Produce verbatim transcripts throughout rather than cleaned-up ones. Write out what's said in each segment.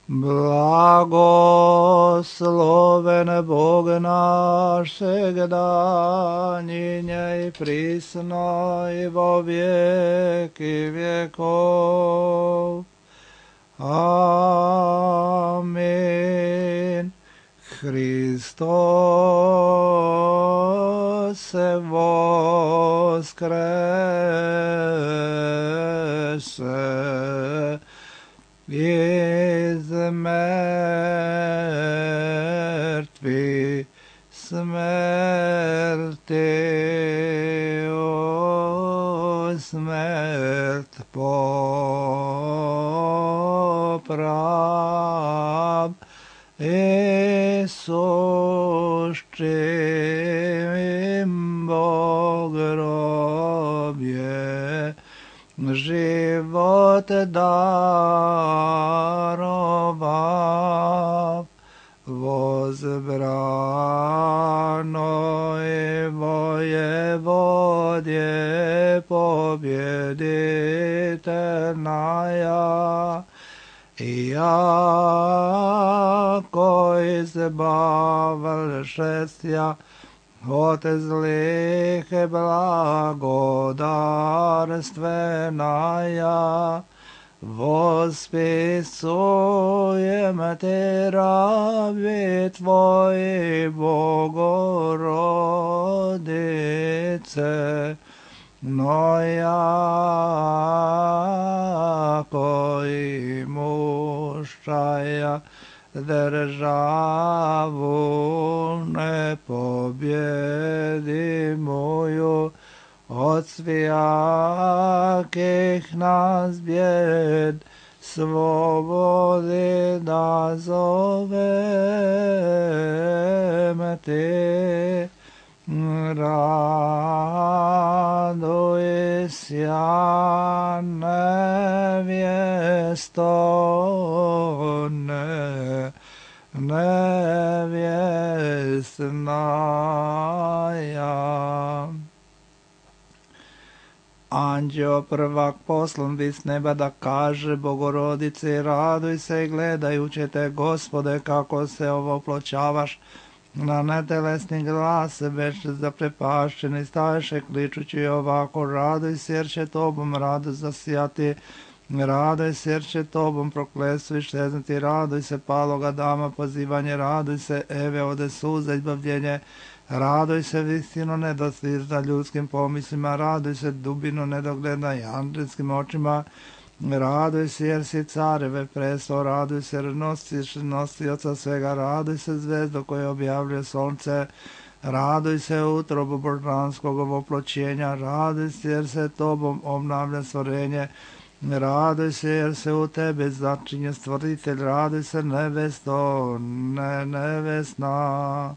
Blagosloven Bog naš всегда, ныне и присно и во веки веков. Аминь. Христос воскресе из мертвых, смерти, о смерть поправ, и сущим Богробье живот даровав, возбраной воеводе победительная, яко избавшеся от злых и благодарственная, восписуем Те раби Твои, Богородице, но яко имущая державу непобедимую, от всяких нас бед свободы назовем Ты. Радуйся, невесто, невестная. Anđeo prvak poslan bi s neba da kaže Bogorodice, raduj se gledajući te, Gospode, kako se ovoploćavaš. Na netelesni glas već zaprepašćeni staješe kličući ovako, raduj se jer će tobom rado zasijati, raduj se jer će tobom prokletstvo iščeznuti, raduj se paloga dama pozivanje, raduj se Eve ode suza izbavljenje, raduj se vistino nedostižna ljudskim pomislima, raduj se dubino nedogledna i anđelskim očima, raduj se jer si careve presto, raduj se jer nosiš nosioca svega, raduj se zvezdo koje objavljuje sonce, raduj se utrobu božanskog ovoploćenja, raduj se jer se tobom obnavlja stvorenje, raduj se jer se u tebi začinje stvoritelj, raduj se nevesto, ne nevesna.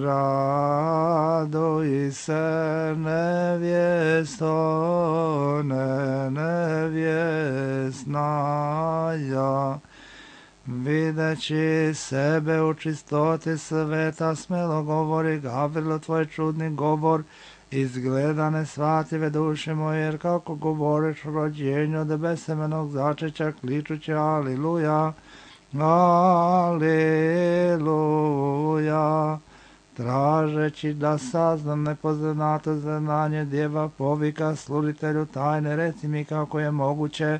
Raduj se nevjesto, ne nevjesnaja, videći sebe u čistoti sveta, smelo govori Gavrilo tvoj čudni govor, izgleda nesvatljive duše moje, jer kako govoriš o rođenju od besemenog začeća, kličući aliluja, aliluja. Tražeći da saznam nepoznato znanje djeva povika sluditelju tajne, reci mi kako je moguće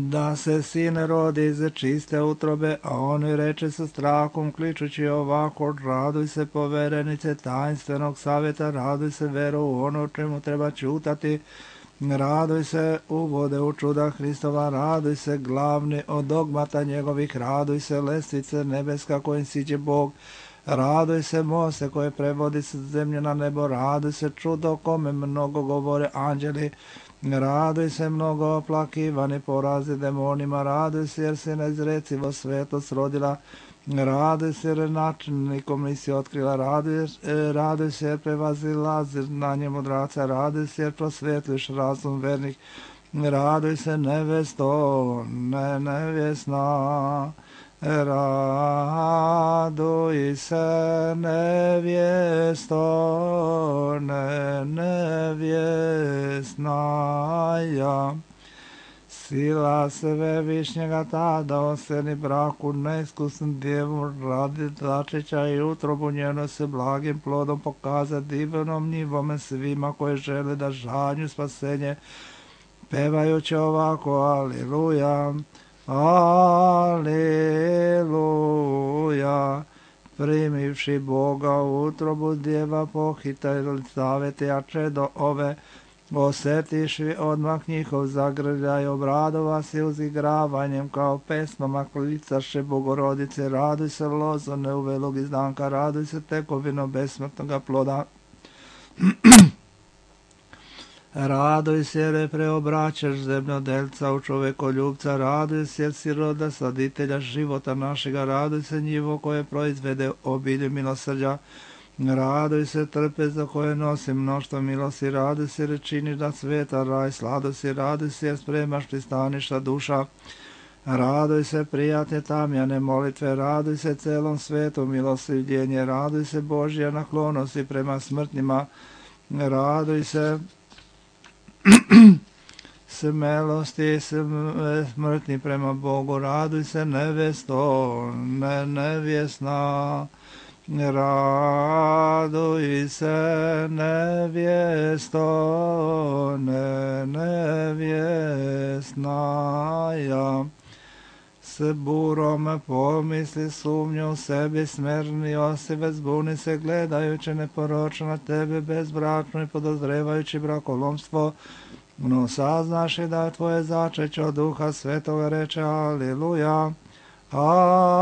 da se sin rodi iz čiste utrobe, a on reče sa strahom kličući ovako, raduj se poverenice tajnstvenog savjeta, raduj se vero u ono o čemu treba čutati, raduj se uvode u čuda Hristova, raduj se glavni od dogmata njegovih, raduj se lestvice nebeska kojim siđe Bog, raduj se moste koje prevodi se zemlje na nebo, raduj se čudo kome mnogo govore anđeli, raduj se mnogo oplakivani porazi demonima, raduj se jer se neizrecivo svetost rodila, raduj se jer načinnikom nisi otkrila, raduj, raduj se jer prevazila znanje mudraca, raduj se jer prosvetliš razum vernih, raduj se nevesto, ne nevjesna, raduj se nevjesto, ne nevjesnaja. Sila Svevišnjega tada oseni braku neiskusnom djevu radi začeća i utrobu njeno se blagim plodom pokaza divnom njivome svima koji žele da žanju spasenje, pevajući ovako Aliluja, Aliluja. Primivši Boga u utrobu djeva pohitaj savete, a čedo ove osjetiši odmah njihov zagrljaj, obradova se uzigravanjem kao pesmama klicaše Bogorodice, raduj se lozone uvelog izdanka, raduj se tekovino besmrtnoga ploda. Raduj se jer je preobraćaš zemljodelca u čovekoljubca, raduj se jer si roda saditelja života našega, raduj se njivo koje proizvede obilje milosrđa, raduj se trpe za koje nosi mnoštvo milosti, raduj se jer činiš da sveta raj sladosti, raduj se jer spremaš pristaništa duša, raduj se prijatne tamjane molitve, raduj se celom svetu milostivljenje, raduj se Božja naklonosti prema smrtnima, raduj se smelosti smrtni prema Bogu, raduj se nevesto, ne nevjesna, raduj se nevjesto, ne nevjesnaja. S burom pomisli sumnju u sebi smerni osive, zbuni se gledajući neporočno na tebe bezbračno i podozrevajući brakolomstvo, no saznaš i da je tvoje začeće od Duha Svetoga, reče Aliluja, Aliluja.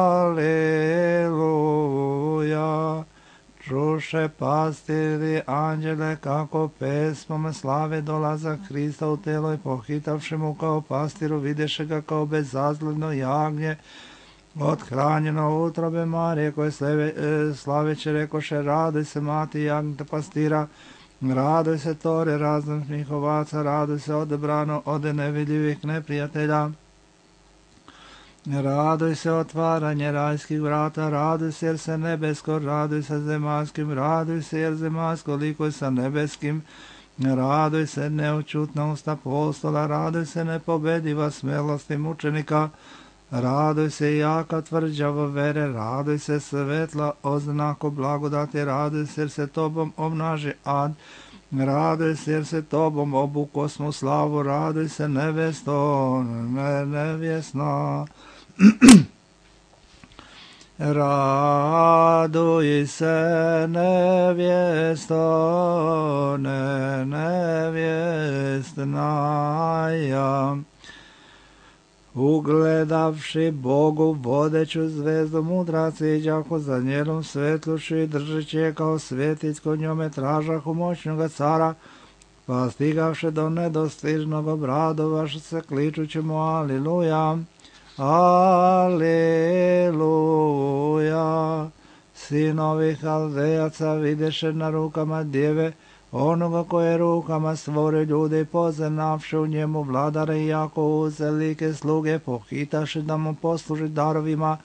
Čuše pastiri anđele kako pesmom slave dolazak Hrista u telo i pohitavši mu kao pastiru videše ga kao bezazledno jagnje othranjeno utrobe Marije koje slaveće rekoše raduj se mati jagnjeta pastira, raduj se tore raznošnih ovaca, raduj se odebrano od nevidljivih neprijatelja. Raduj se otvaranje rajskih vrata, raduj se jer se nebesko, raduj se zemaljskim, raduj se jer zemaljsko likuj sa nebeskim, raduj se neočutna usta apostola, raduj se nepobediva smelosti mučenika, raduj se jaka tvrđava vere, raduj se svetla oznako blagodati, raduj se jer se tobom obnaži ad, raduj se jer se tobom obukosmo slavu, raduj se nevesto, ne nevjesna. Raduj se nevjesto, ne nevjestnaja. Ugledavši Bogu vodeću zvezdu mudraci iđahu za njenom svetlušću i držeći je kao svjetić kod njome tražahu moćnoga cara, pa stigavši do nedostižnog obradovaš se kličući mu Aliluja, Aliluja. Sinovi Haldejaca videše na rukama djeve onoga koje rukama stvore ljude i poznavši u njemu vladare i jako uzelike sluge pohitaše da mu posluži darovima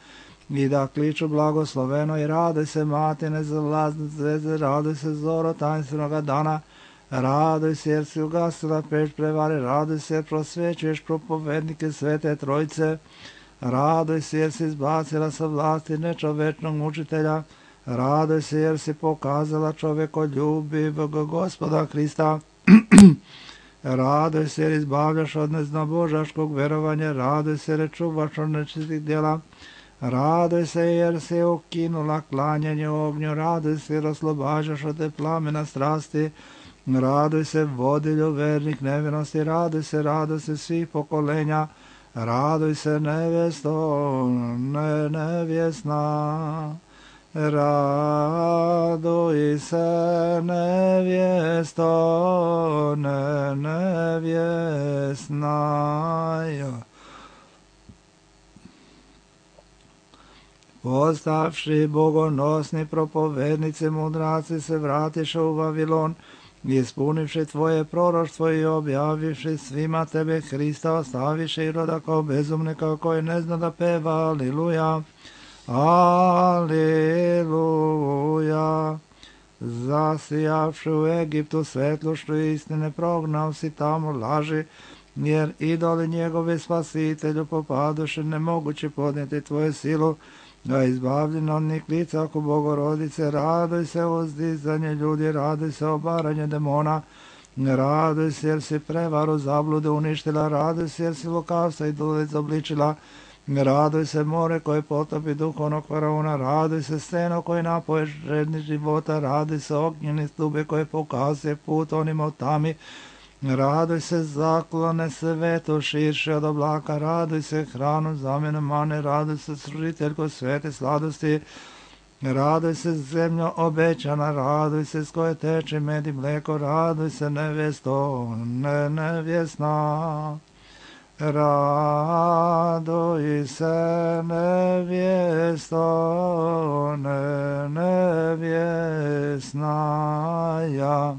i da kliču blagosloveno i rade se matine zalazne zvezde, rade se zoro tajnstvenog dana, raduj se jer si ugasila peć prevare, raduj se jer prosvećuješ propovednike Svete Trojice, raduj se jer si izbacila sa vlasti nečovečnog mučitelja, raduj se jer si pokazala čovjekoljubivog Gospoda Hrista, raduj se jer izbavljaš od neznabožaškog verovanja, raduj se jer čuvaš od nečistih djela, raduj se jer si ukinula klanjanje ognju, raduj se jer oslobađaš od te plamena strasti, raduj se vodilju vernih nevinosti, raduj se, raduj se svih pokolenja, raduj se nevesto, ne nevjesna. Raduj se nevjesto, ne nevjesnaja. Postavši bogonosni propovednici mudraci se vratiše u Vavilon, ispunivši tvoje proroštvo i objavivši svima tebe Hrista, ostaviše i roda kao bezumnika koji ne zna da peva Aliluja. Aliluja. Zasijavši u Egiptu svetlošću istine, prognao si tamo laži jer idoli njegovi spasitelju popadoše nemoguće podnijeti tvoju silu, a izbavljeno od njih lica oko Bogorodice, raduj se o uzdizanje ljudi, raduj se o obaranje demona, raduj se jer si prevaru zablude uništila, raduj se jer si lukavstva i dulic obličila, raduj se more koje potopi duhovnog faraona, raduj se steno koje napoje žedni života, raduj se ognjeni stube koje pokazuje put onima u tami, raduj se zaklone svetu širše od oblaka, raduj se hranu zamjenu mane, raduj se sružiteljko svete sladosti, raduj se zemljo obećana, raduj se s koje teče med i mleko, raduj se nevjesto, ne nevjesna. Raduj se nevjesto, ne nevjesna ja.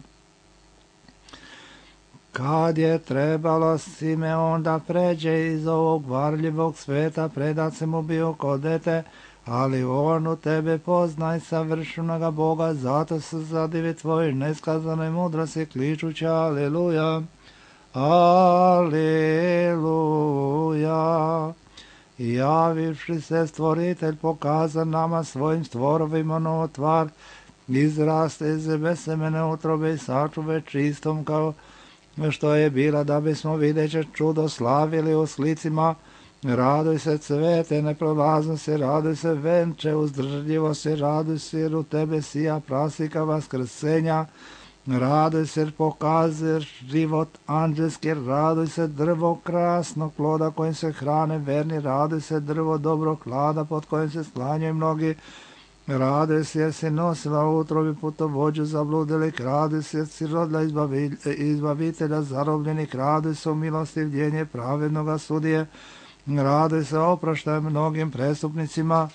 Kad je trebalo Simeon da pređe iz ovog varljivog sveta, predat se mu bio kod dete, ali on u tebe poznaj savršenoga Boga, zato se zadivi tvoj neskazanoj mudrosti kličući aleluja, aleluja. Javivši se stvoritelj pokaza nama svojim stvorovima novo tvar, izraste iz besemene utrobe i sačuve čistom kao što je bila, da bismo videće čudo slavili u slicima. Raduj se cvete neprolaznosti, raduj se venče uzdržljivosti, raduj se jer u tebe sija prasika vaskrsenja, raduj se jer pokazuješ život anđelski, raduj se drvo krasnog ploda kojim se hrane verni, raduj se drvo dobrog klada pod kojim se sklanjaju mnogi, raduj se jer si nosila u utrobi putovođu zabludelik, raduj se jer si rodila izbavitelja zarobljenih, raduj se u milostivljenje pravednoga sudije, raduj se oproštaj mnogim prestupnicima,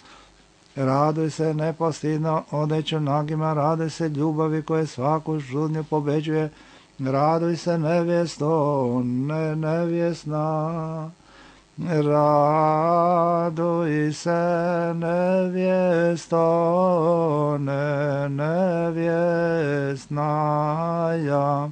raduj se nepostidno odeću nagima, raduj se ljubavi koje svaku žudnju pobeđuje, raduj se nevjesto, ne nevjesna. Raduj se nevjesto, ne nevjesna ja.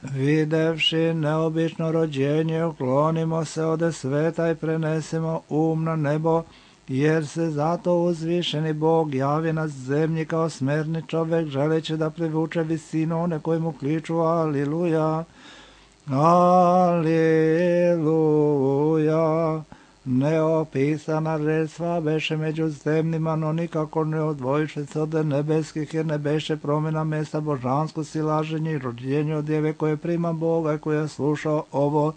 Videvši neobično rođenje, uklonimo se od sveta i prenesemo um na nebo, jer se zato uzvišeni Bog javi na zemlji kao smerni čovjek, želeći da privuče visinu one koji mu kliču aliluja. Aleluja. Neopisana žrtva beše među zemljima, no nikako ne odvojiše se od nebeskih, jer ne beše promjena mjesta božansko silaženje i rođenje od djeve koje prima Boga i koja sluša ovo.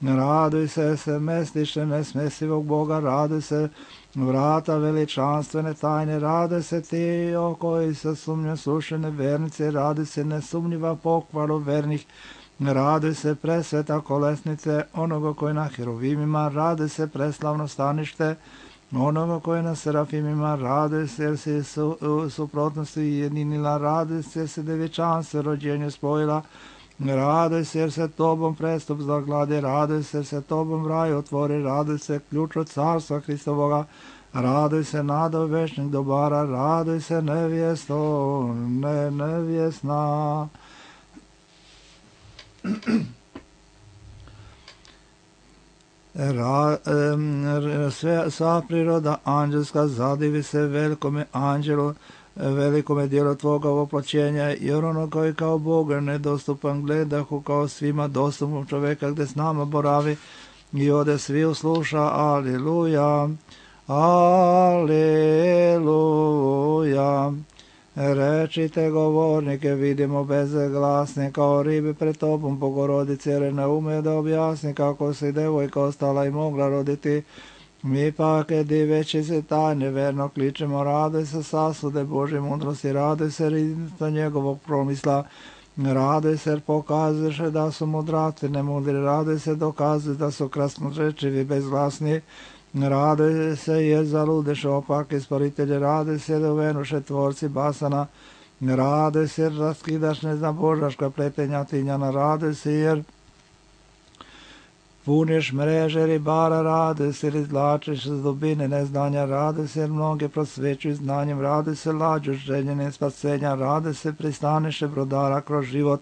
Raduj se se mestiše nesmesivog Boga, raduj se vrata veličanstvene tajne, raduj se ti o koji se sumnju slušene vernice, raduj se nesumnjiva pokvaru vernih, raduj se presveta kolesnice onoga koji na heruvimima, raduj se preslavno stanište onoga koji na serafimima, raduj se jer si su, u suprotnosti jedinila, raduj se jer se devječanstvo rođenje spojila, raduj se jer se tobom prestup zagladi, raduj se jer se tobom raj otvori, raduj se ključ od carstva Hristovoga, raduj se nado večnih dobara, raduj se nevjesto, ne nevjesna. Ra, um, sve, sva priroda anđelska zadivi se velikome anđelu, velikome dijelu tvoga oploćenja, jer ono koji kao Boga nedostupan gledahu kao svima dostupnom čovjeka gdje s nama boravi i ode svi usluša, aleluja, aleluja. Rečite govornike, vidimo bezglasne kao ribe pred tobom, Bogorodice, jer ne ume da objasni kako se devojka ostala i mogla roditi. Mi pak, diveći se tajne, verno kličemo, raduj se sasude Božje mudrosti, raduj se riznica njegovog promisla, raduj se jer pokazuješ da su mudraci nemudri, raduj se dokazuj da su krasnorečivi bezglasni, raduj se jer zaludeš opake sporitelje, raduj se da uvenuše tvorci basana, raduj se jer raskidaš neznabožaška pletenja tinjana, raduj se jer puniš mreže ribara, raduj se jer izvlačiš iz dubine neznanja, raduj se jer mnoge prosvećuju znanjem, raduj se lađu željenim spasenja, raduj se pristaniše brodara kroz život,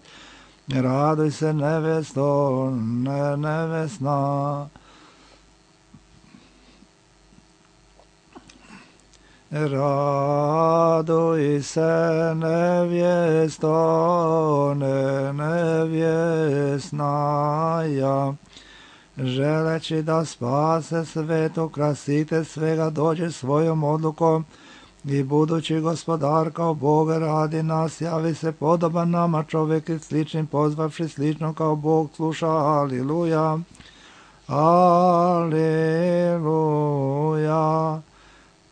Raduj se nevesto, ne, nevesna. Raduj se nevjesto, ne, nevjesnaja. Želeći da spase svet, ukrasite svega, dođe svojom odlukom i budući gospodar kao Bog radi nas, javi se podoban nama čovjek i sličnim, pozvavši slično kao Bog sluša. Aliluja, aliluja.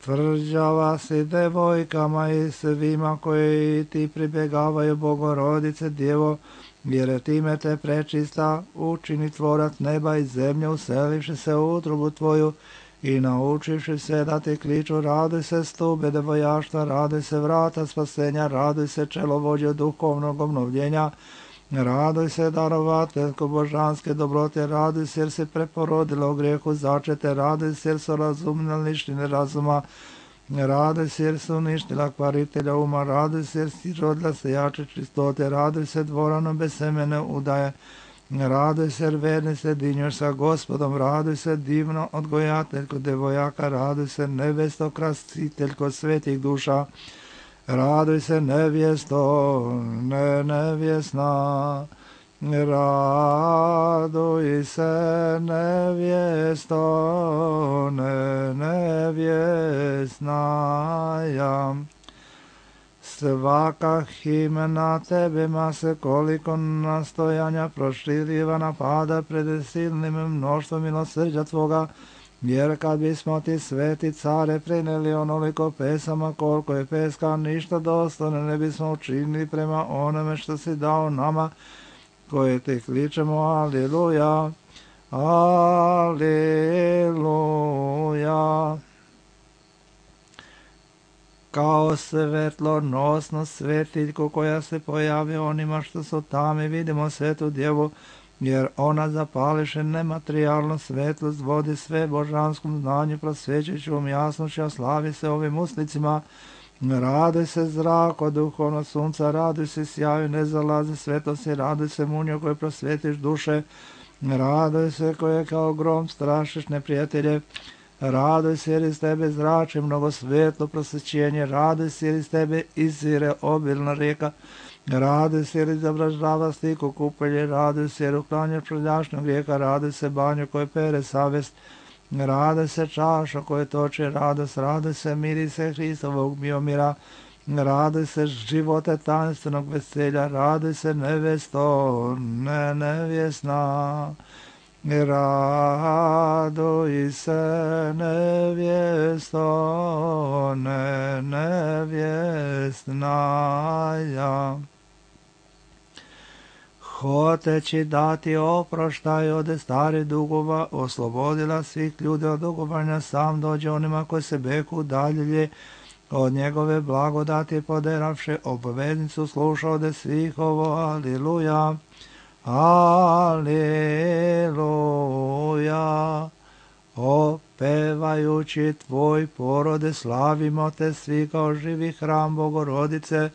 Tvrđava si devojkama i svima koji ti pribjegavaju, Bogorodice Djevo, jer time te prečista učini tvorac neba i zemlje, uselivši se u utrobu tvoju i naučivši se da ti kliču. Raduj se stube devojaštva, raduj se vrata spasenja, raduj se čelovođe duhovnog obnovljenja, raduj se darovateljko božanske dobrote, raduj se jer se preporodila u grijehu začete, raduj se jer su razumne lištine razuma, raduj se jer su uništila kvaritelja uma, raduj se jer si rodila se jače čistote, raduj se dvoranom bez semene udaje, raduj se jer verni se dinješ sa Gospodom, raduj se divno odgojateljko devojaka, raduj se nevesto krasiteljko svetih duša, raduj se nevjesto, ne nevjesna, raduj se nevjesto, ne nevjesnaja. Svaka himna tebe ma se koliko nastojanja proširiva napada pred silnim mnoštvom milosrđa tvoga, jer kad bismo ti sveti care preneli onoliko pesama koliko je peska, ništa dostojno ne bismo učinili prema onome što si dao nama koje ti kličemo. Aliluja, aliluja. Kao svetlonosnu svetiljku koja se pojavi onima što su tamo, vidimo svetu djevu, jer ona zapališe nematerijalnu svetlost, vodi sve božanskom znanju, prosvećujućom jasnošću, a slavi se ovim uslicima. Raduj se zrako duhovno sunca, raduj se sjaju nezalazi svetosti, raduj se munjo koje prosvetiš duše, raduj se koje kao grom strašiš neprijatelje, raduj se jer iz tebe zrači mnogo svetlo prosvećenje, raduj se jer iz tebe izvire obilna rijeka, raduj se jer izobražava stiku kupelje, raduj se jer uklanja prljašnjog grijeha, raduj se banju koje pere savest, raduj se čaša koje toče radost, raduj se mirise Hristovog miomira, raduj se živote tajnstvenog veselja, raduj se nevesto, ne nevjesna, raduj se nevjesto, ne nevjesnaja. Hoteći dati oproštaj od starih dugova, oslobodila svih ljudi od dugovanja, sam dođe onima koji se beku dalje od njegove blagodati, poderavše obveznicu, sluša ode svih ovo. Aliluja, aliluja. Opevajući tvoj porode, slavimo te svi kao živi hram Bogorodice,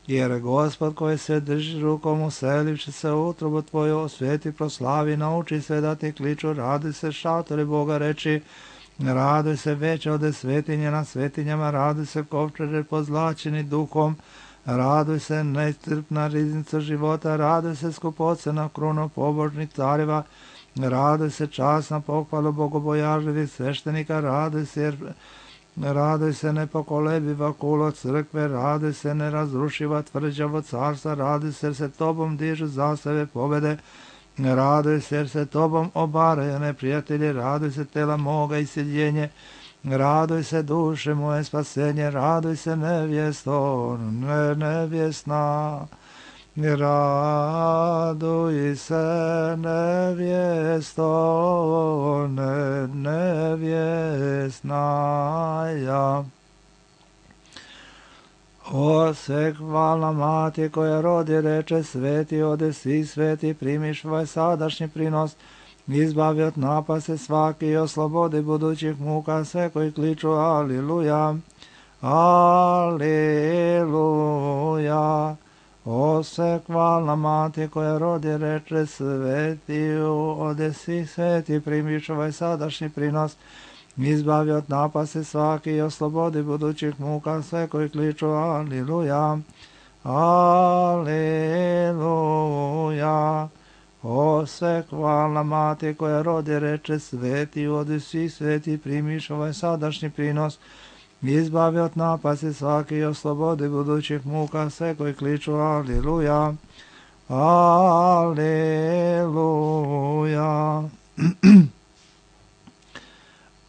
jer Gospod koji se drži rukom uselivši se u utrobu tvoju, osveti, proslavi, nauči sve da ti kliču. Raduj se šatore Boga reči, raduj se veće ode svetinje na svetinjama, raduj se kovčeže pozlačeni duhom, raduj se nestrpna riznica života, raduj se skupocena kruna pobožnih careva, raduj se časna pohvala bogobojažljivih sveštenika, raduj se jer raduj se nepokolebiva kulo crkve, raduj se nerazrušiva tvrđavo carstva, raduj se jer se tobom dižu zastave pobjede, raduj se jer se tobom obaraju neprijatelji, raduj se tela moga iseljenje, raduj se duše moje spasenje, raduj se nevjesto, ne nevjesna, raduj se nevjesto, ne nevjesnaja. O sve hvalna mati koja rodi reče, sveti ode svi sveti, primiš ovaj sadašnji prinos, izbavi od napase svaki i oslobodi budućih muka sve koji kliču. Aliluja, aliluja. O sekvalna mati koja rodi reče svetiju, ode svih sveti primiš ovaj sadašnji prinos, izbavi od napasti svaki i oslobodi budućih muka sve koji kliču aliluja, aliluja. O sekvalna mati koja rodi reče svetiju, ode svih sveti primiš ovaj sadašnji prinos, izbavi od napasti svaki i oslobodi budućih muka sve koji kliču aliluja, aliluja.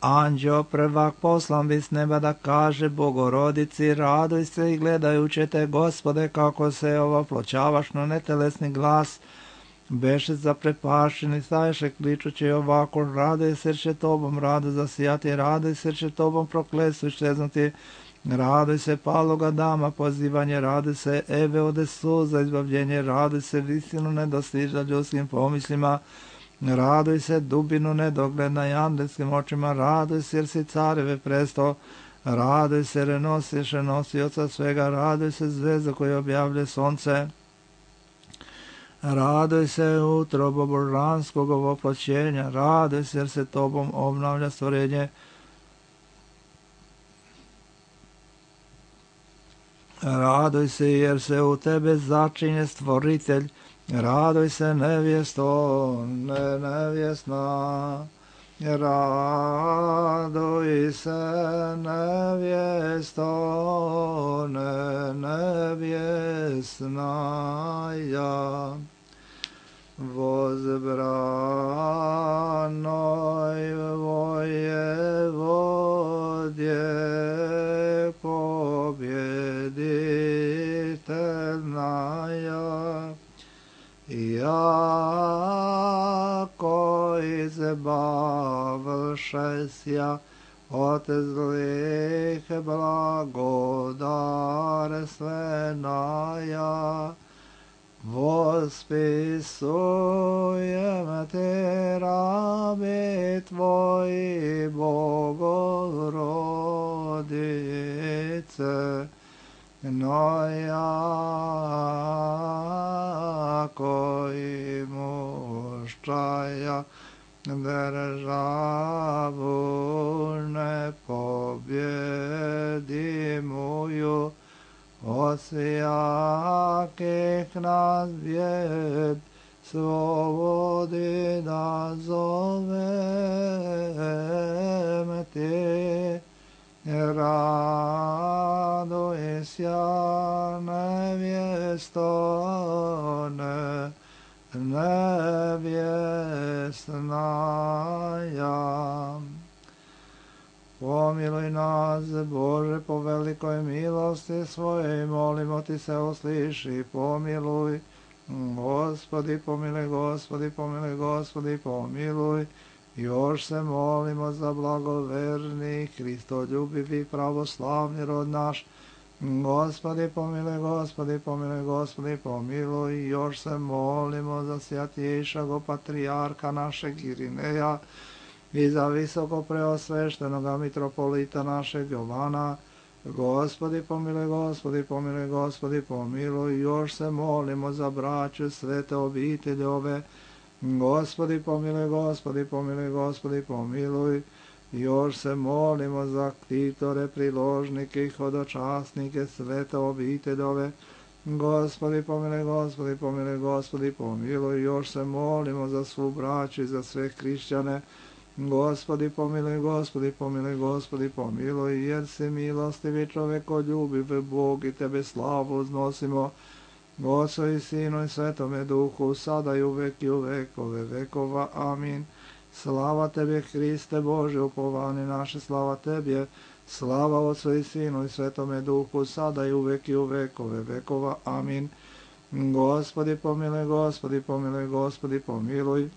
Anđeo prvak poslan bi s neba da kaže Bogorodici, raduj se i gledajuće te, Gospode, kako se ovoploćavaš, no netelesni glas beše zaprepašeni, staješe kličući ovako, raduj se jer će tobom rado zasijati, raduj se jer će tobom prokletstvo iščeznuti, raduj se paloga dama pozivanje, raduj se Eve ode suza izbavljenje, raduj se visinu nedostižna ljudskim pomislima, raduj se dubinu nedogledna i andelskim očima, raduj se jer si careve presto, raduj se jer nosiš nosioca svega, raduj se zvezda koja objavlja sonce, raduj se utrobo božanskog ovoploćenja, raduj se jer se tobom obnavlja stvorenje, raduj se jer se u tebe začinje stvoritelj, raduj se nevjesto, ne nevjesna, raduj se nevjesto, ne nevjesna, ja. Возбранoj vojevodje pobjeditelnaja, jako izbavšesja od zlih blagodarstvenaja, vospisujem te rabi tvoji Bogorodice, no jako i muščaja državu ne pobjedimuju, od svijakih nas bjed svobodi da zovem ti, raduj sja nevjesto, ne nevjesnaja. Pomiluj nas, Bože, po velikoj milosti svojej, molimo ti se, usliši, pomiluj. Gospodi, pomiluj, Gospodi, pomiluj, Gospodi, pomiluj. Još se molimo za blagoverni, Hristoljubivi, pravoslavni rod naš. Gospodi, pomiluj, Gospodi, pomiluj, Gospodi, pomiluj. Još se molimo za svjatjejšago patrijarka našeg Irineja, i za visoko preosveštenoga mitropolita našeg Jovana. Gospodi pomiluj, Gospodi pomiluj, Gospodi pomiluj. Još se molimo za braću svete obitelji ove. Gospodi pomiluj, Gospodi pomiluj, Gospodi pomiluj. Još se molimo za ktitore, priložnike i hodočasnike svete obitelji ove. Gospodi pomiluj, Gospodi pomiluj, Gospodi pomiluj. Još se molimo za svu braću i za sve hrišćane. Gospodi pomiluj, Gospodi pomiluj, Gospodi pomiluj, jer si milostivi čovekoljubiv Bog i tebe slavu uznosimo, Otcu i Sinu i Svetome Duhu, sada i uvek i u vekove vekova. Amin. Slava tebi, Hriste Bože, upovani naše, slava tebi, slava Otcu i Sinu i Svetome Duhu, sada i uvek i u vekove vekova. Amin. Gospodi pomiluj, Gospodi pomiluj, Gospodi pomiluj.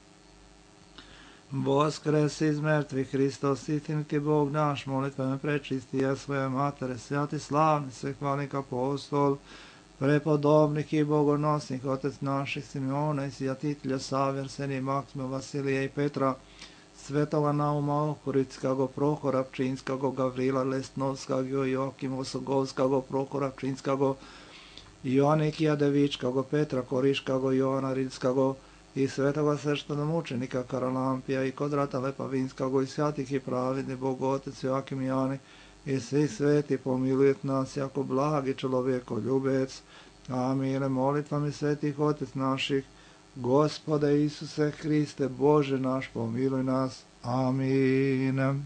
Voskres iz mrtvih, Hristos, istiniti Bog naš, molitvama prečisti ja svoje matere, svjati slavni, svehvalnik apostol, prepodobnik i bogonosnik, otec naših Simeona i sjatitelja Save, Arsenija, Maksima, Vasilija i Petra, svetoga Nauma Ohorickago, Prohora Pčinskago, Gavrila Lestnovskago, Joakima Osogovskago, Prohora Pčinskago, Ionikija Devičkago, Petra Koriškago, Joana Rilskago i svetoga sveštenomučenika Karalampija i Kodrata Lepavinskago i svjatih i pravedni Bogotec Joakim Jani i svi sveti pomilujete nas jako blagi čovjekoljubec. Amine. Molitvami svetih Otec naših, Gospode Isuse Hriste, Bože naš, pomiluj nas. Amin.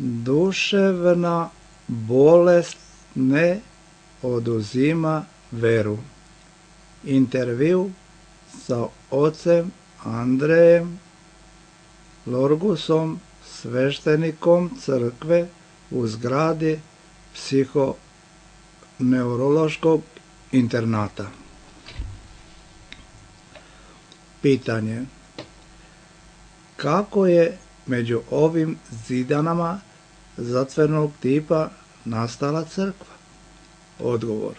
Duševna bolest ne oduzima veru. Intervju sa ocem Andrejem Lorgusom, sveštenikom crkve u zgradi psihoneurološkog internata. Pitanje: kako je među ovim zidanama zatvorenog tipa nastala crkva? Odgovor: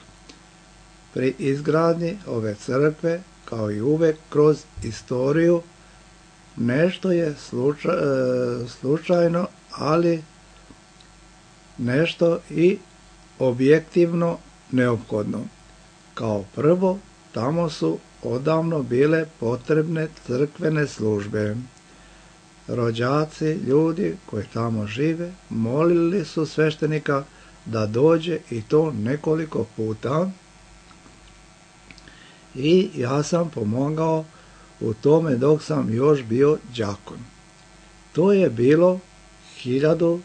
pri izgradnji ove crkve, kao i uvek kroz istoriju, nešto je slučaj, slučajno, ali nešto i objektivno neophodno. Kao prvo, tamo su odavno bile potrebne crkvene službe. Rođaci, ljudi koji tamo žive, molili su sveštenika da dođe, i to nekoliko puta, i ja sam pomogao u tome dok sam još bio đakon. To je bilo hiljadu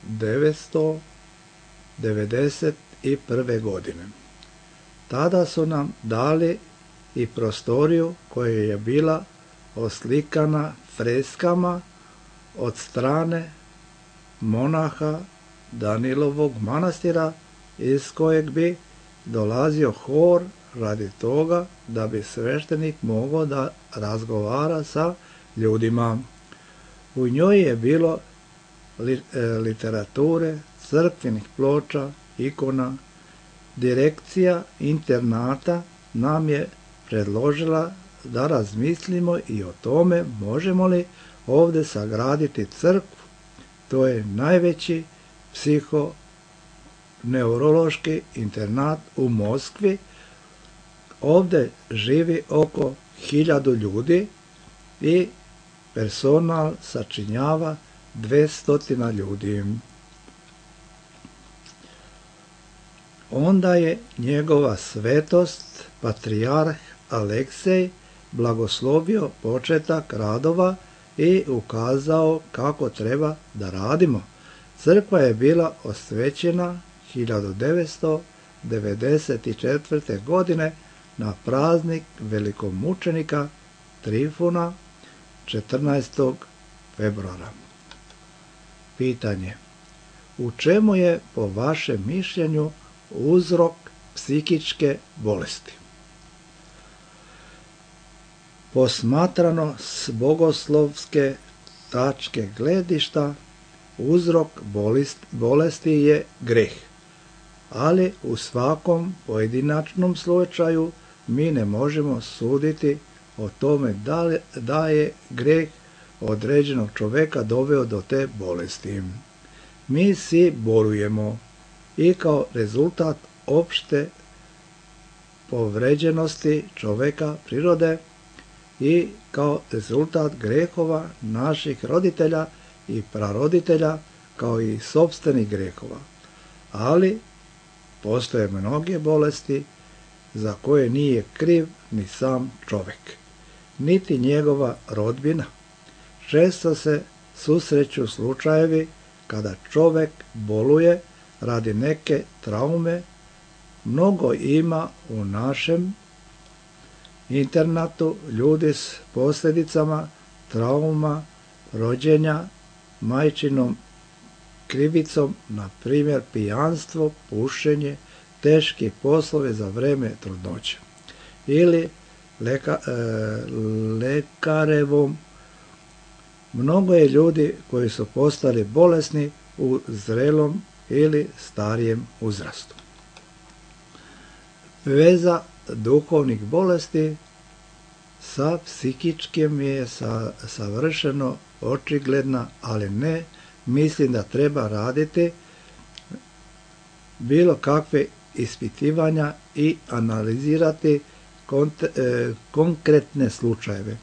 devetsto devedeset prve. godine. Tada su nam dali i prostoriju koja je bila oslikana freskama od strane monaha Danilovog manastira, iz kojeg bi dolazio hor, radi toga da bi sveštenik mogao da razgovara sa ljudima. U njoj je bilo literature, crkvenih ploča, ikona. Direkcija internata nam je predložila da razmislimo i o tome možemo li ovde sagraditi crkvu. To je najveći psihoneurološki internat u Moskvi. Ovde živi oko hiljadu ljudi i personal sačinjava dvesta ljudi. Onda je njegova svetost, patrijarh Aleksej, blagoslovio početak radova i ukazao kako treba da radimo. Crkva je bila osvećena hiljadu devetsto devedeset četvrte. godine na praznik velikomučenika Trifuna četrnaestog februara. Pitanje: u čemu je po vašem mišljenju uzrok psihičke bolesti? Posmatrano s bogoslovske tačke gledišta, uzrok bolesti je greh, ali u svakom pojedinačnom slučaju mi ne možemo suditi o tome da je greh određenog čoveka doveo do te bolesti. Mi svi bolujemo i kao rezultat opšte povređenosti čoveka prirode i kao rezultat grehova naših roditelja i praroditelja, kao i sopstvenih grehova. Ali postoje mnoge bolesti za koje nije kriv ni sam čovek, niti njegova rodbina. Često se susreću slučajevi kada čovek boluje radi neke traume. Mnogo ima u našem internatu ljudi s posljedicama trauma rođenja, majčinom krivicom, na primjer pijanstvo, pušenje, teški poslove za vreme trudnoće, ili leka, e, lekarevom. Mnogo je ljudi koji su postali bolesni u zrelom ili starijem uzrastu. Veza duhovnih bolesti sa psihičkim je sa, savršeno očigledna, ali ne mislim da treba raditi bilo kakve ispitivanja i analizirati kont, e, konkretne slučajeve.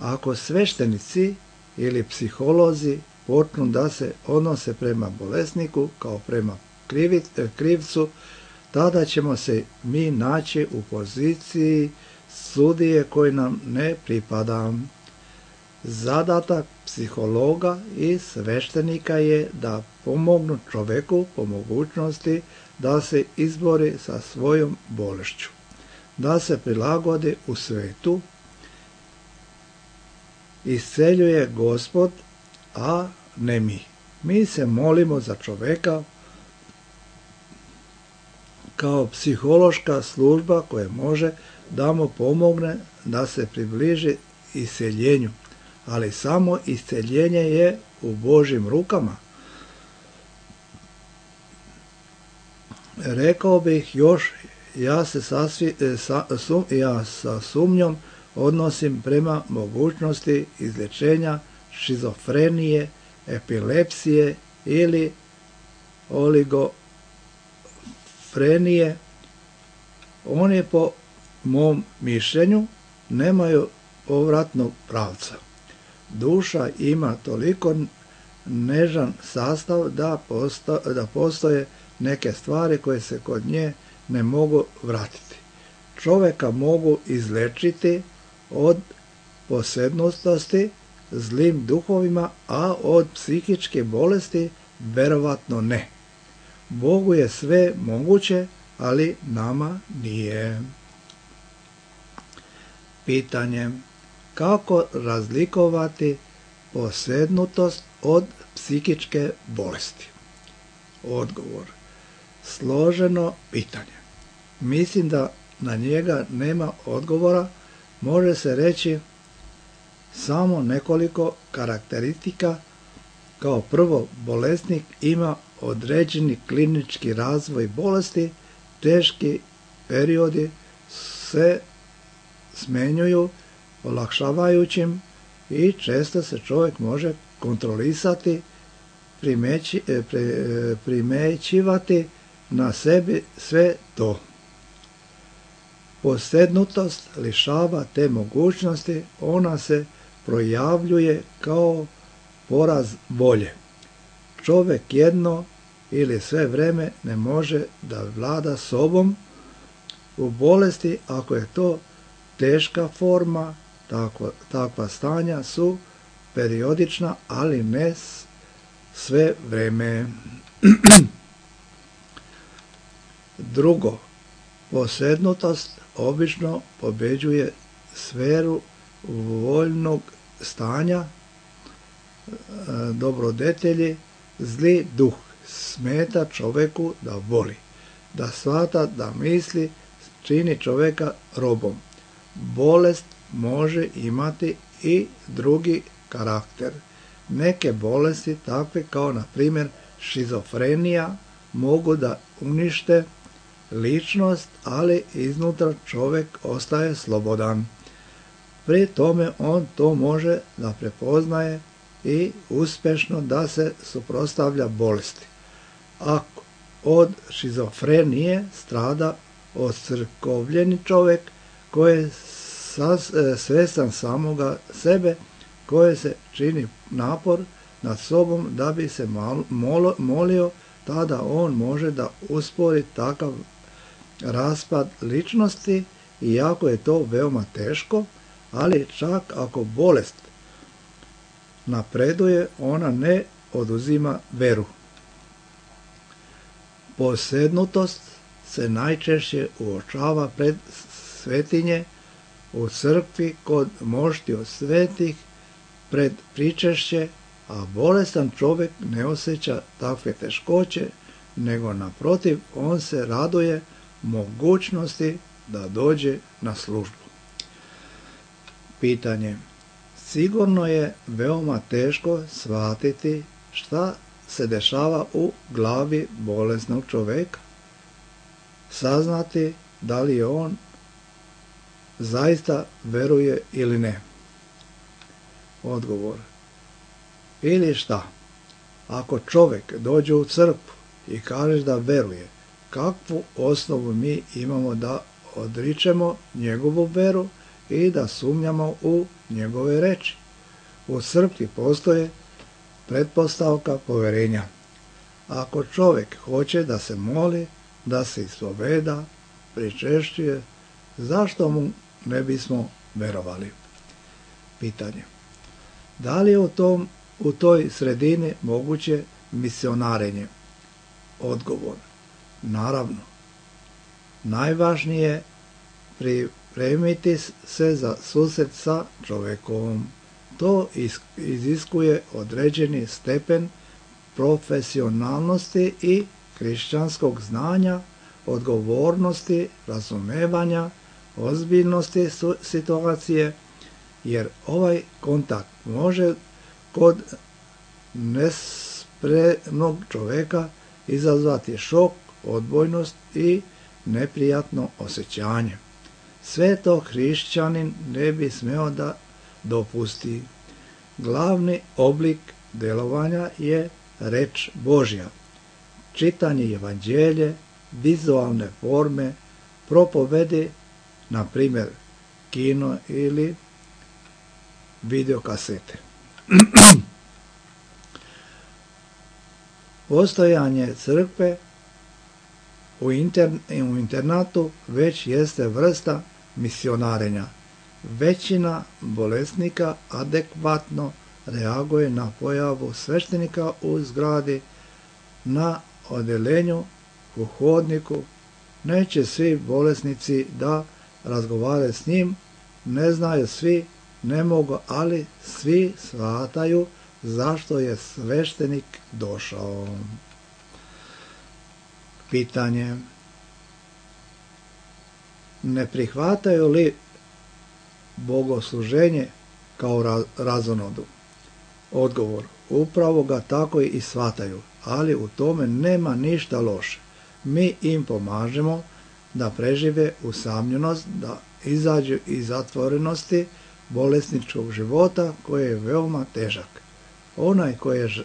Ako sveštenici ili psiholozi počnu da se odnose prema bolesniku kao prema krivic, krivcu, tada ćemo se mi naći u poziciji sudije koji nam ne pripada. Zadatak psihologa i sveštenika je da pomognu čoveku po mogućnosti da se izbori sa svojom bolešću, da se prilagodi u svetu. Isceljuje Gospod, a ne mi. Mi se molimo za čoveka kao psihološka služba koja može da mu pomogne da se približi isceljenju, ali samo isceljenje je u Božjim rukama. Rekao bih još, ja se sasvi, sa, sum, ja sa sumnjom odnosim prema mogućnosti izlječenja šizofrenije, epilepsije ili oligofrenije. Oni po mom mišljenju nemaju povratnog pravca. Duša ima toliko nežan sastav da, posto, da postoje neke stvari koje se kod nje ne mogu vratiti. Čoveka mogu izlečiti od posednutosti zlim duhovima, a od psihičke bolesti verovatno ne. Bogu je sve moguće, ali nama nije. Pitanje: kako razlikovati posednutost od psihičke bolesti? Odgovor: složeno pitanje. Mislim da na njega nema odgovora. Može se reći samo nekoliko karakteristika. Kao prvo, bolesnik ima određeni klinički razvoj bolesti, teški periodi se smenjuju olakšavajućim i često se čovjek može kontrolisati, primeći, pre, primećivati na sebi sve to. Posednutost lišava te mogućnosti, ona se projavljuje kao poraz volje. Čovjek jedno ili sve vreme ne može da vlada sobom. U bolesti, ako je to teška forma, takva, takva stanja su periodična, ali ne sve vreme. Drugo, posednutost obično pobeđuje sferu voljnog stanja, dobrodetelji, zli duh smeta čoveku da voli, da shvata, da misli, čini čoveka robom. Bolest može imati i drugi karakter. Neke bolesti, takve kao na primjer šizofrenija, mogu da unište ličnost, ali iznutra čovjek ostaje slobodan. Pri tome on to može da prepoznaje i uspješno da se suprotstavlja bolesti. Ako od šizofrenije strada ocrkovljeni čovjek koji je svestan samoga sebe, koji se čini napor nad sobom da bi se molio, tada on može da uspori takav raspad ličnosti, iako je to veoma teško, ali čak ako bolest napreduje, ona ne oduzima veru. Posednutost se najčešće uočava pred svetinje, u crkvi, kod moštiju svetih, pred pričešće, a bolestan čovjek ne osjeća takve teškoće, nego naprotiv, on se raduje mogućnosti da dođe na službu. Pitanje: sigurno je veoma teško shvatiti šta se dešava u glavi bolesnog čovjeka, saznati da li on zaista veruje ili ne. Odgovor: ili šta? Ako čovjek dođe u crkvu i kaže da veruje, kakvu osnovu mi imamo da odričemo njegovu veru i da sumnjamo u njegove reči? U crkvi postoje pretpostavka poverenja. Ako čovjek hoće da se moli, da se ispoveda, pričešćuje, zašto mu ne bismo verovali? Pitanje: Da li je u, tom, u toj sredini moguće misionarenje? Odgovor: naravno. Najvažnije je pripremiti se za susret sa čovjekom. To iziskuje određeni stepen profesionalnosti i kršćanskog znanja, odgovornosti, razumevanja, ozbiljnosti situacije, jer ovaj kontakt može kod nespremnog čovjeka izazvati šok, odbojnost i neprijatno osjećanje. Sve to hrišćanin ne bi smeo da dopusti. Glavni oblik djelovanja je reč Božja, čitanje evanđelje, vizualne forme, propovedi, na primjer kino ili videokasete. Postojanje crkve u, intern, u internatu već jeste vrsta misionarenja. Većina bolesnika adekvatno reaguje na pojavu sveštenika u zgradi, na odeljenju, u hodniku. Neće svi bolesnici da razgovaraju s njim, ne znaju svi, ne mogu, ali svi shvataju zašto je sveštenik došao. Pitanje: ne prihvataju li bogosluženje kao razonodu? Odgovor: upravo ga tako i shvataju, ali u tome nema ništa loše. Mi im pomažemo da prežive usamljenost, da izađu iz zatvorenosti bolesničkog života koji je veoma težak. Onaj koji je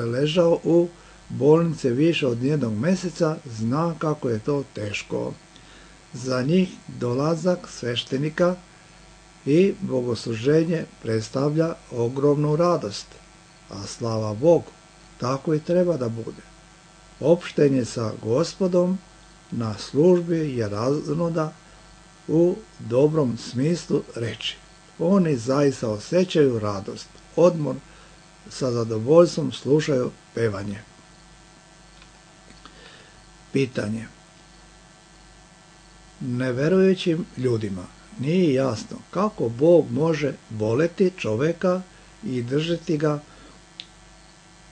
ležao u bolnici više od jednog mjeseca zna kako je to teško. Za njih dolazak sveštenika i bogosluženje predstavlja ogromnu radost, a slava Bogu, tako i treba da bude. Opštenje sa Gospodom na službi je razonoda u dobrom smislu reči. Oni zaista osjećaju radost, odmor, sa zadovoljstvom slušaju pevanje. Pitanje: neverujućim ljudima nije jasno kako Bog može voleti čovjeka i držati ga,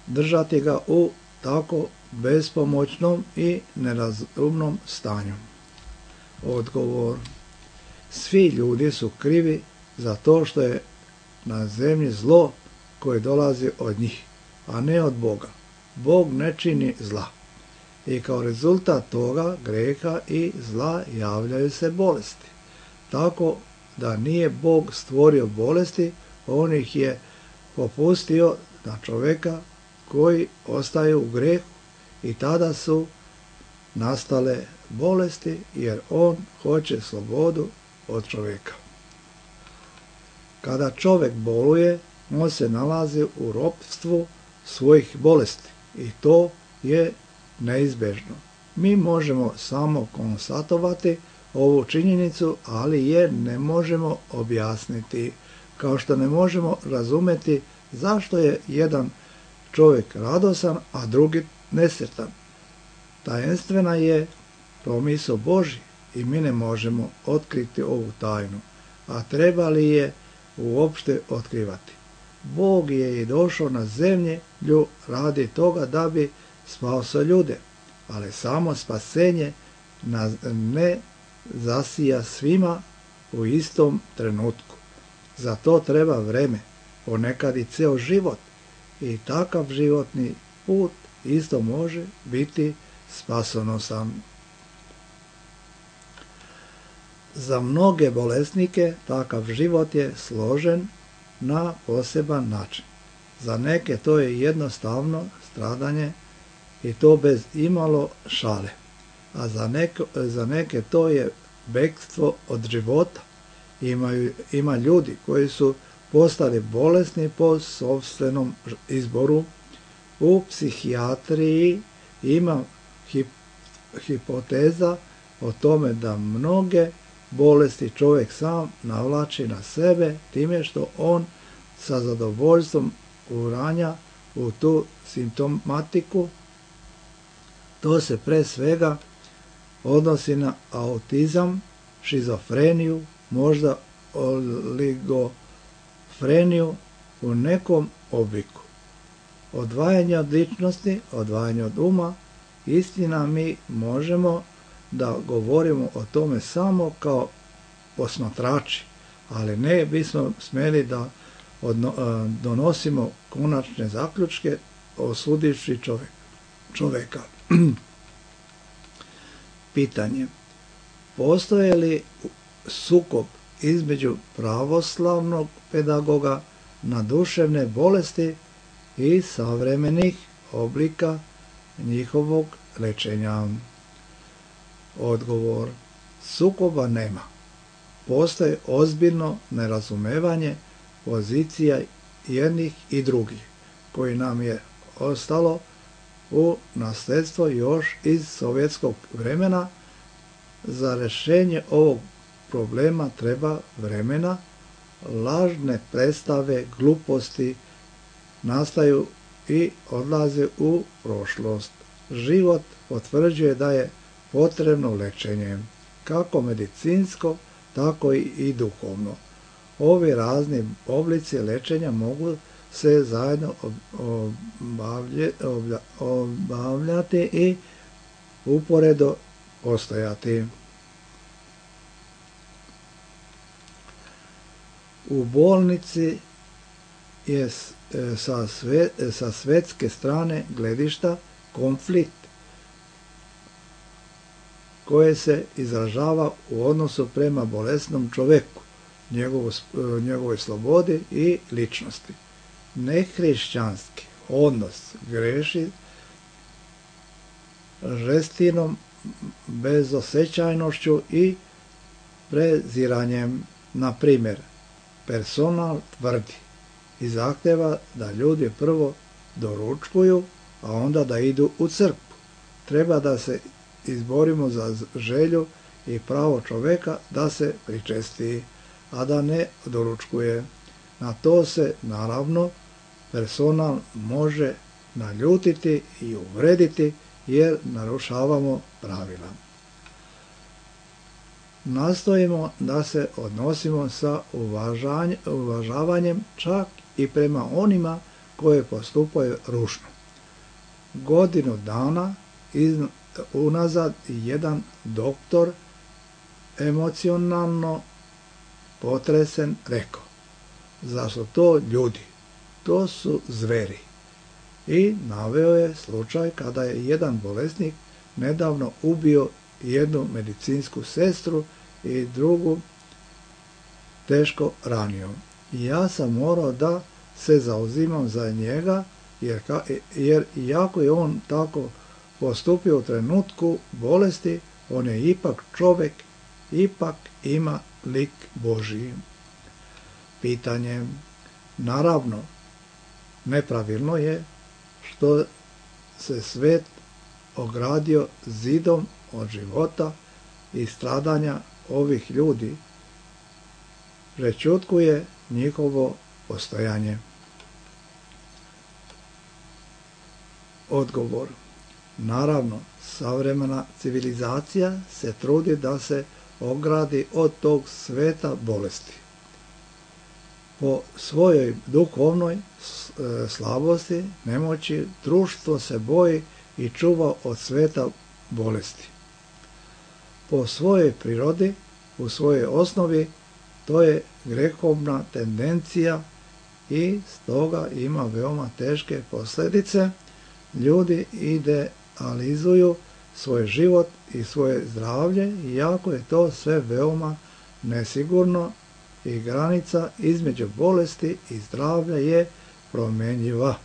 držati ga u tako bespomoćnom i nerazumnom stanju. Odgovor: svi ljudi su krivi za to što je na zemlji zlo koje dolazi od njih, a ne od Boga. Bog ne čini zla. I kao rezultat toga greha i zla javljaju se bolesti. Tako da nije Bog stvorio bolesti, on ih je popustio na čovjeka koji ostaje u grehu i tada su nastale bolesti, jer on hoće slobodu od čovjeka. Kada čovjek boluje, on se nalazi u ropstvu svojih bolesti i to je neizbježno. Mi možemo samo konstatovati ovu činjenicu, ali je ne možemo objasniti, kao što ne možemo razumjeti zašto je jedan čovjek radosan, a drugi nesretan. Tajenstvena je promisao Božji i mi ne možemo otkriti ovu tajnu, a trebali je uopšte otkrivati. Bog je i došao na zemlju radi toga da bi spasao ljude, ali samo spasenje ne zasija svima u istom trenutku. Za to treba vreme, ponekad i ceo život, i takav životni put isto može biti spasonosan. Za mnoge bolesnike takav život je složen na poseban način. Za neke to je jednostavno stradanje i to bez imalo šale, a za neke, za neke to je bekstvo od života. Imaju, ima ljudi koji su postali bolesni po sopstvenom izboru. U psihijatriji ima hip, hipoteza o tome da mnoge bolesti čovjek sam navlači na sebe time što on sa zadovoljstvom uranja u tu simptomatiku. To se pre svega odnosi na autizam, šizofreniju, možda oligofreniju u nekom obliku. Odvajanje od ličnosti, odvajanje od uma, istina mi možemo da govorimo o tome samo kao posmatrači, ali ne bismo smeli da odno, donosimo konačne zaključke osudivši čovek, čoveka. Pitanje. Postoje li sukob između pravoslavnog pedagoga na duševne bolesti i savremenih oblika njihovog lečenja? Odgovor. Sukoba nema. Postoje ozbiljno nerazumevanje pozicija jednih i drugih, koji nam je ostalo u nasljedstvo još iz sovjetskog vremena. Za rješenje ovog problema treba vremena. Lažne predstave, gluposti nastaju i odlaze u prošlost. Život potvrđuje da je potrebno lečenje, kako medicinsko, tako i duhovno. Ovi razni oblici lečenja mogu se zajedno obavljati i uporedo postojati. U bolnici je sa, sve, sa svetske strane gledišta konflikt koje se izražava u odnosu prema bolesnom čoveku, njegovo, njegovoj slobodi i ličnosti. Nehrišćanski odnos greši žestinom, bezosećajnošću i preziranjem. Na primjer, personal tvrdi i zahteva da ljudi prvo doručkuju, a onda da idu u crkvu. Treba da se izborimo za želju i pravo čoveka da se pričesti, a da ne doručkuje. Na to se, naravno, personal može naljutiti i uvrediti, jer narušavamo pravila. Nastojimo da se odnosimo sa uvažavanjem čak i prema onima koje postupaju ružno. Godinu dana iz, unazad jedan doktor emocionalno potresen rekao: "Zar su to ljudi? To su zveri." I naveo je slučaj kada je jedan bolesnik nedavno ubio jednu medicinsku sestru i drugu teško ranio. Ja sam morao da se zauzimam za njega, jer, jer iako je on tako postupio u trenutku bolesti, on je ipak čovjek, ipak ima lik Božiji. Pitanje. Naravno, nepravilno je što se svet ogradio zidom od života i stradanja ovih ljudi, prečutkuje njihovo postojanje. Odgovor. Naravno, savremena civilizacija se trudi da se ogradi od tog sveta bolesti. Po svojoj duhovnoj slabosti, nemoći, društvo se boji i čuva od sveta bolesti. Po svojoj prirodi, u svojoj osnovi, to je grehovna tendencija i stoga ima veoma teške posljedice. Ljudi idealizuju svoj život i svoje zdravlje, iako je to sve veoma nesigurno i granica između bolesti i zdravlja je promjenjiva.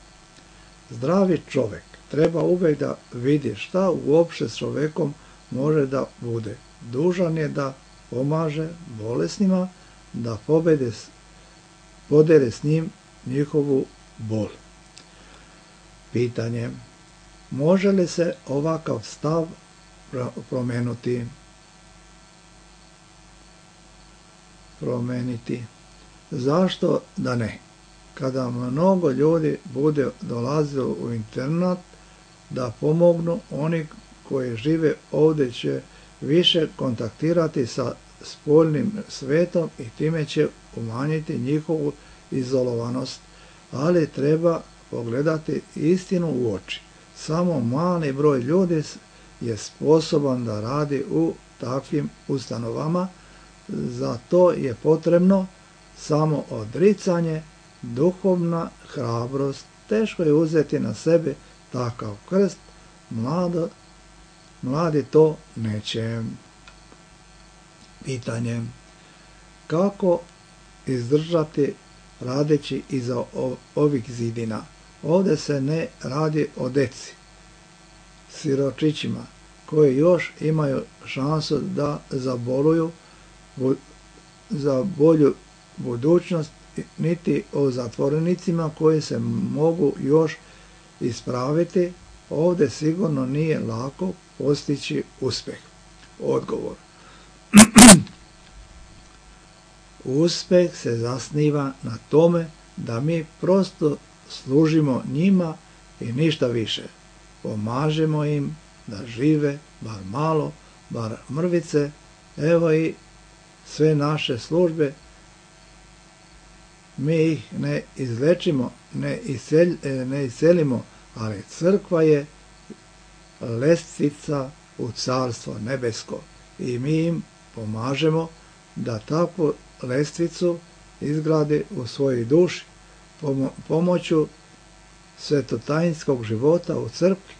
Zdravi čovjek treba uvijek da vidi šta uopće s čovjekom može da bude. Dužan je da pomaže bolesnima, da pobede, podere s njim njihovu bol. Pitanje. Može li se ovakav stav promenuti? Promeniti. Zašto da ne? kada mnogo ljudi bude dolazilo u internat da pomognu, oni koji žive ovdje će više kontaktirati sa spoljnim svetom i time će umanjiti njihovu izolovanost, ali treba pogledati istinu u oči. Samo mali broj ljudi je sposoban da radi u takvim ustanovama, za to je potrebno samo odricanje, duhovna hrabrost. Teško je uzeti na sebe takav krst, mlado, mladi to neće. Pitanje: kako izdržati radeći iza ovih zidina? Ovdje se ne radi o deci, siročićima, koji još imaju šansu da zaboluju za bolju budućnost, niti o zatvorenicima koji se mogu još ispraviti. Ovdje sigurno nije lako postići uspjeh. Odgovor: uspjeh se zasniva na tome da mi prosto služimo njima i ništa više. Pomažemo im da žive, bar malo, bar mrvice. Evo i sve naše službe. Mi ih ne izlečimo, ne, isel, ne iselimo, ali crkva je lestvica u carstvo nebesko i mi im pomažemo da takvu lestvicu izgrade u svojoj duši pomoću svetotajinskog života u crkvi.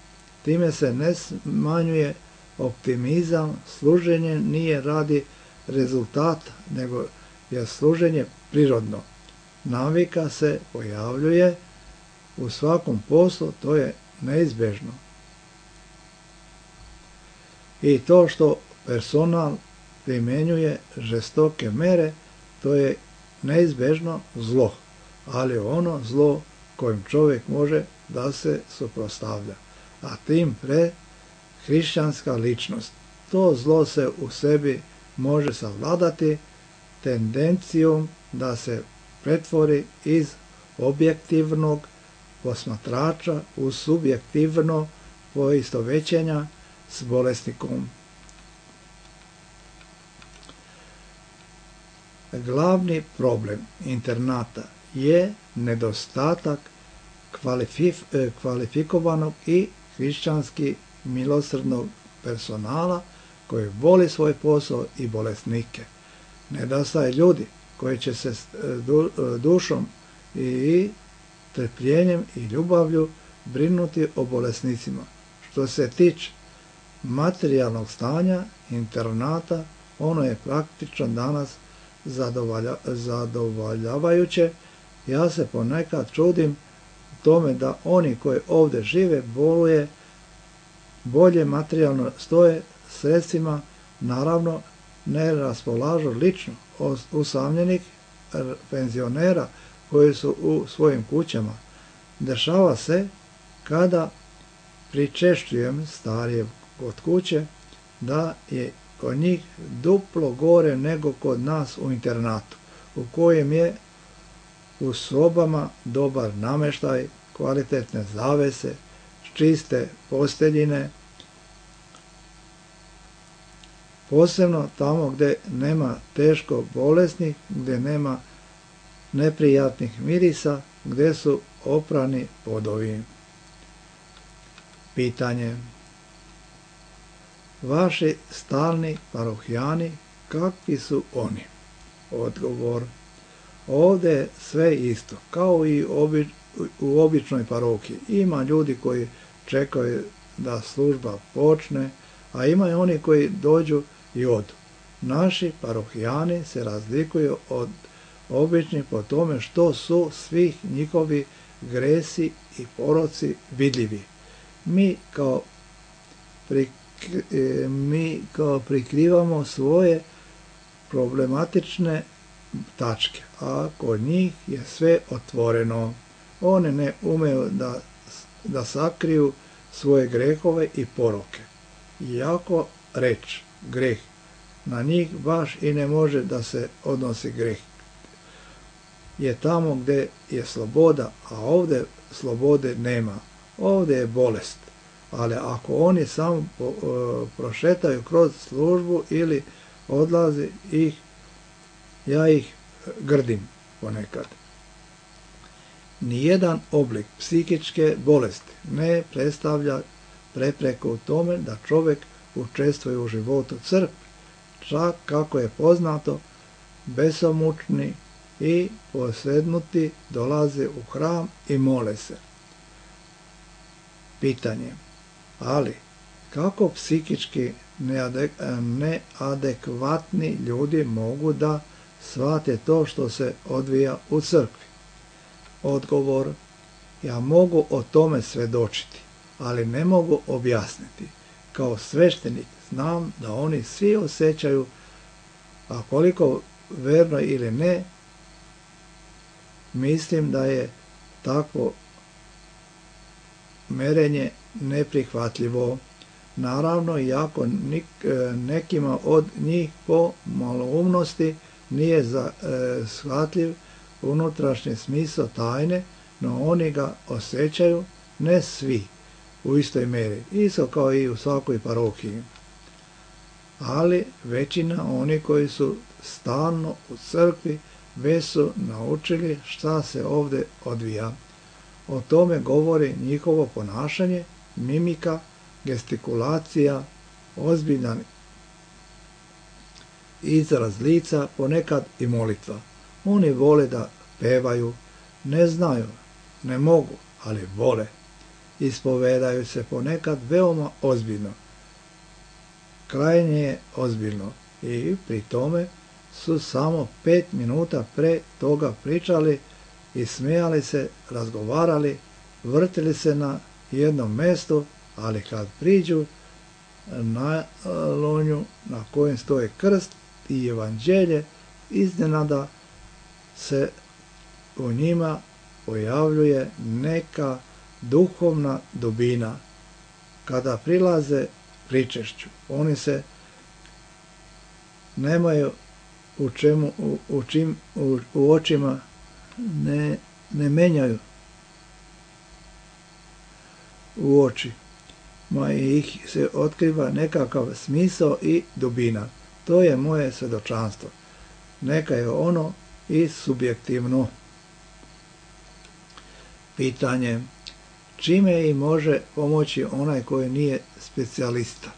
Time se ne smanjuje optimizam. Služenje nije radi rezultata, nego je služenje prirodno. Navika se pojavljuje u svakom poslu, to je neizbježno. I to što personal primjenjuje žestoke mere, to je neizbježno zlo, ali ono zlo kojim čovjek može da se suprotstavlja, a tim pre hrišćanska ličnost. To zlo se u sebi može savladati tendencijom da se pretvori iz objektivnog posmatrača u subjektivno poistovećenja s bolesnikom. Glavni problem internata je nedostatak kvalifikovanog i hrišćanski milosrdnog personala koji voli svoj posao i bolesnike. Nedostaje ljudi koji će se dušom i trpljenjem i ljubavlju brinuti o bolesnicima. Što se tiče materijalnog stanja internata, ono je praktično danas zadovolja, zadovoljavajuće. Ja se ponekad čudim tome da oni koji ovdje žive boluje, bolje materijalno stoje sredstvima, naravno ne raspolažu lično usamljenih penzionera koji su u svojim kućama. Dešava se kada pričešćujem starije kod kuće da je kod njih duplo gore nego kod nas u internatu, u kojem je u sobama dobar namještaj, kvalitetne zavese, čiste posteljine, posebno tamo gdje nema teško bolesnih, gdje nema neprijatnih mirisa, gdje su oprani podovi. Pitanje: vaši stalni parohijani, kakvi su oni? Odgovor: ovdje je sve isto, kao i obi, u običnoj parohiji. Ima ljudi koji čekaju da služba počne, a ima i oni koji dođu i odu. Naši parohijani se razlikuju od običnih po tome što su svih njihovi gresi i poroci vidljivi. Mi kao, pri, mi kao prikrivamo svoje problematične tačke, a kod njih je sve otvoreno. Oni ne umeju da, da sakriju svoje grehove i poroke. Iako reč greh, na njih baš i ne može da se odnosi greh. je tamo gdje je sloboda, a ovdje slobode nema. Ovdje je bolest. Ali ako oni samo prošetaju kroz službu ili odlazi ih, ja ih grdim ponekad. Nijedan oblik psihičke bolesti ne predstavlja prepreku u tome da čovjek učestvuje u životu crkve. Čak kako je poznato, besomučni i posvednuti dolaze u hram i mole se. Pitanje, ali kako psihički neadekvatni ljudi mogu da shvate to što se odvija u crkvi? Odgovor, ja mogu o tome svjedočiti, ali ne mogu objasniti. Kao sveštenik znam da oni svi osjećaju, a koliko verno ili ne, mislim da je takvo merenje neprihvatljivo. Naravno, iako nekima od njih po maloumnosti nije shvatljiv unutrašnji smisao tajne, no oni ga osjećaju, ne svi u istoj mjeri, isto kao i u svakoj parohiji. Ali većina oni koji su stalno u crkvi već su naučili šta se ovdje odvija. O tome govori njihovo ponašanje, mimika, gestikulacija, ozbiljan izraz lica, ponekad i molitva. Oni vole da pevaju, ne znaju, ne mogu, ali vole. Ispovedaju se ponekad veoma ozbiljno. Krajnje je ozbiljno i pri tome su samo pet minuta pre toga pričali i smijali se, razgovarali, vrtili se na jednom mjestu, ali kad priđu na lonju na kojem stoji krst i evanđelje, iznenada se u njima pojavljuje neka duhovna dubina. Kada prilaze pričešću, oni se nemaju u čemu, u, u, čim, u, u očima ne, ne menjaju u oči, ma ih se otkriva nekakav smisao i dubina. To je moje svjedočanstvo. Neka je ono i subjektivno. Pitanje, čime im može pomoći onaj koji nije specijalista?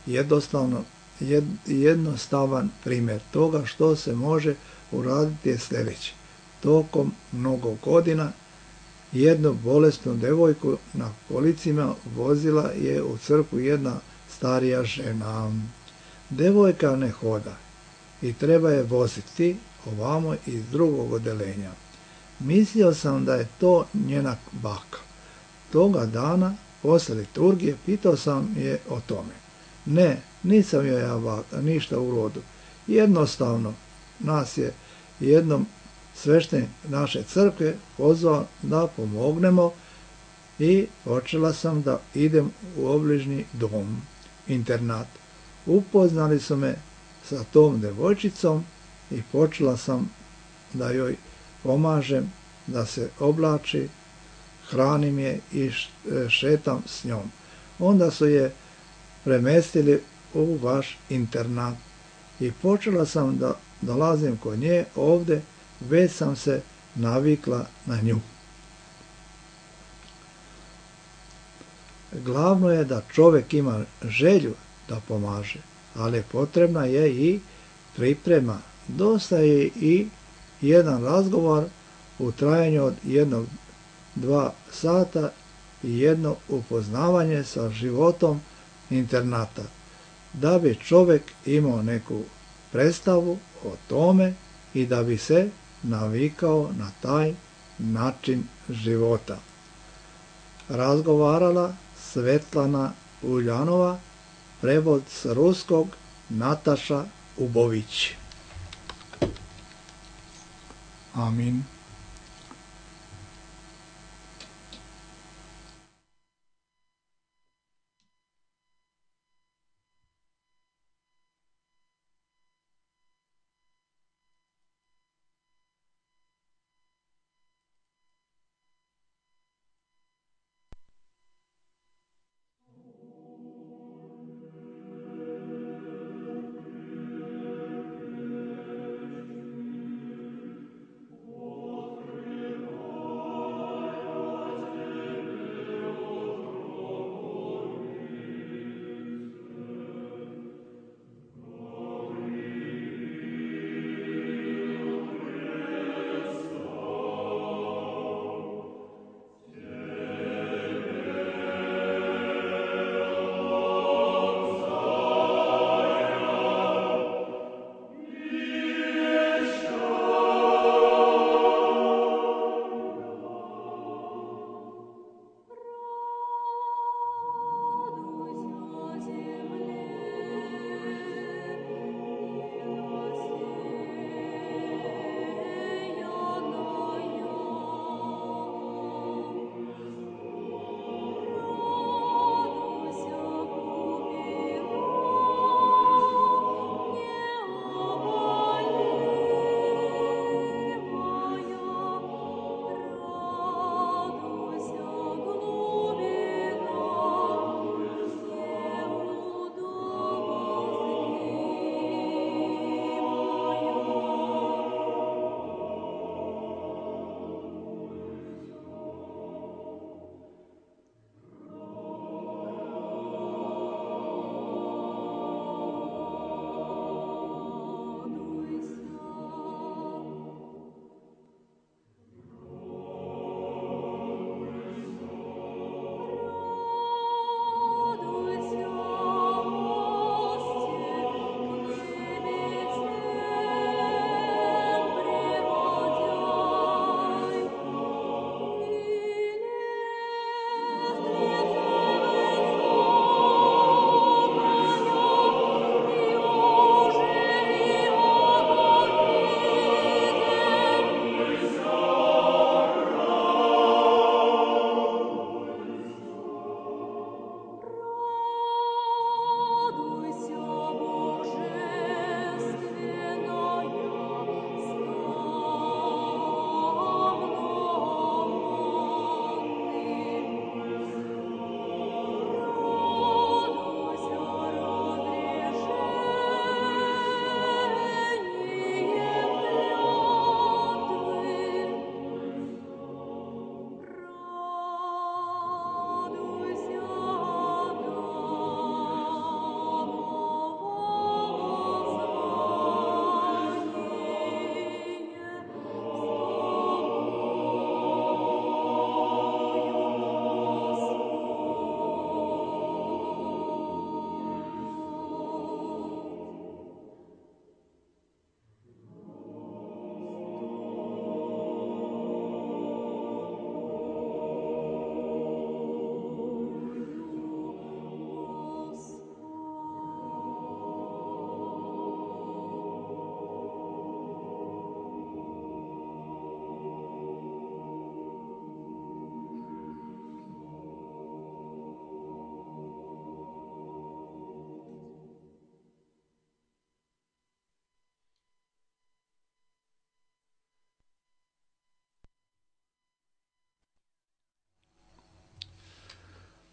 Jednostavno, jed, jednostavan primjer toga što se može uraditi je sljedeći. Tokom mnogo godina jednu bolesnu devojku na kolicima vozila je u crkvu jedna starija žena. Devojka ne hoda i treba je voziti ovamo iz drugog odelenja. Mislio sam da je to njena baka. Toga dana, posle liturgije, pitao sam je o tome. Ne, nisam joj ja baka, ništa u rodu. Jednostavno, nas je jednom sveštenik naše crkve pozvao da pomognemo i počela sam da idem u obližnji dom, internat. Upoznali su me sa tom devojčicom i počela sam da joj pomažem da se oblači, hranim je i šetam s njom. Onda su je premestili u vaš internat i počela sam da dolazim kod nje ovdje, već sam se navikla na nju. Glavno je da čovjek ima želju da pomaže, ali potrebna je i priprema. Dosta je i jedan razgovor u trajanju od jednog, dva sata i jedno upoznavanje sa životom internata, da bi čovjek imao neku predstavu o tome i da bi se navikao na taj način života. Razgovarala Svetlana Uljanova, prevod s ruskog Nataša Ubović. Amin.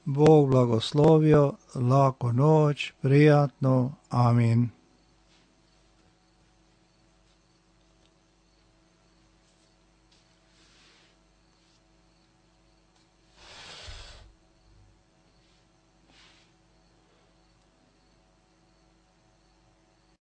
Bog blagoslovio, laku noć, prijatno, amin.